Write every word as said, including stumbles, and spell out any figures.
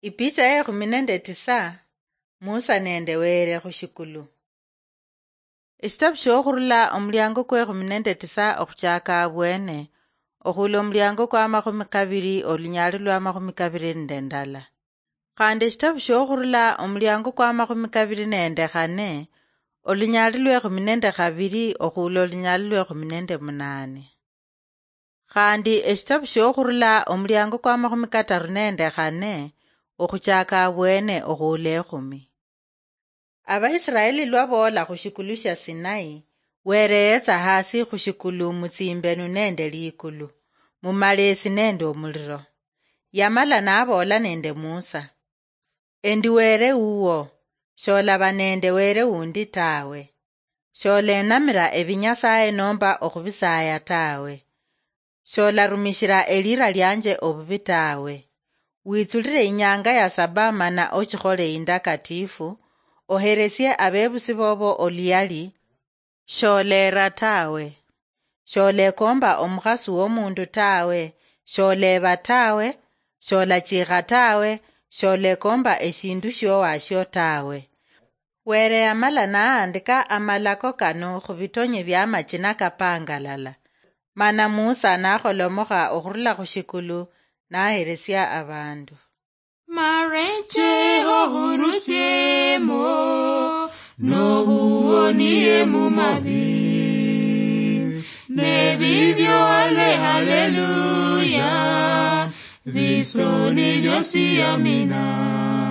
Ipicha ya ekhumi nende tisa. Musa nende Were khushikulu. Eshitabu shiokhurula omuliango kwa ekhumi nende tisa okhuchaka abwene, okhula omuliango kwa amakhumi kabiri olunyali lwa amakhumi kabiri nende ndala. Khandi eshitabu shiokhurula omuliango kwa amakhumi kabiri nende khane, olunyali lwa ekhumi nende khabiri okhula olunyali lwa ekhumi nende munane. Khandi eshitabu shiokhurula omuliango kwa amakhumi kataru nende khane okhuchaka abwene okhula ekhumi. Abaisiraeli lwa boola khushikulu shia Sinai, Were yetsa hasi khushikulu mutsimbenu nende likulu, mumalesi nende omuliro. Yamala naboola nende Musa, "Endi Were wuwo, sholaba nende Were wundi tawe. Sholenamira ebinyasaye nomba okhubisaya tawe. Sholarumishira elira lianje obubi tawe. Witsulire inyanga ya saba mana ochikhole indakatifu, oheresie abebusi bobo oluyali, sholera tawe. Sholekomba omukhasi womundu tawe, sholeba tawe, sholachikha tawe, sholekomba eshindu shiowashio tawe." Were yamala nahandika amalako kano khubitonye bia amachina kapangalala. Mana Musa nakholomokha okhurula khushikulu, naheresia abandu. Mareche ohurusiemo, nohuonie mumabi. Nebibyo ale haleluya, bisoni byosi amina.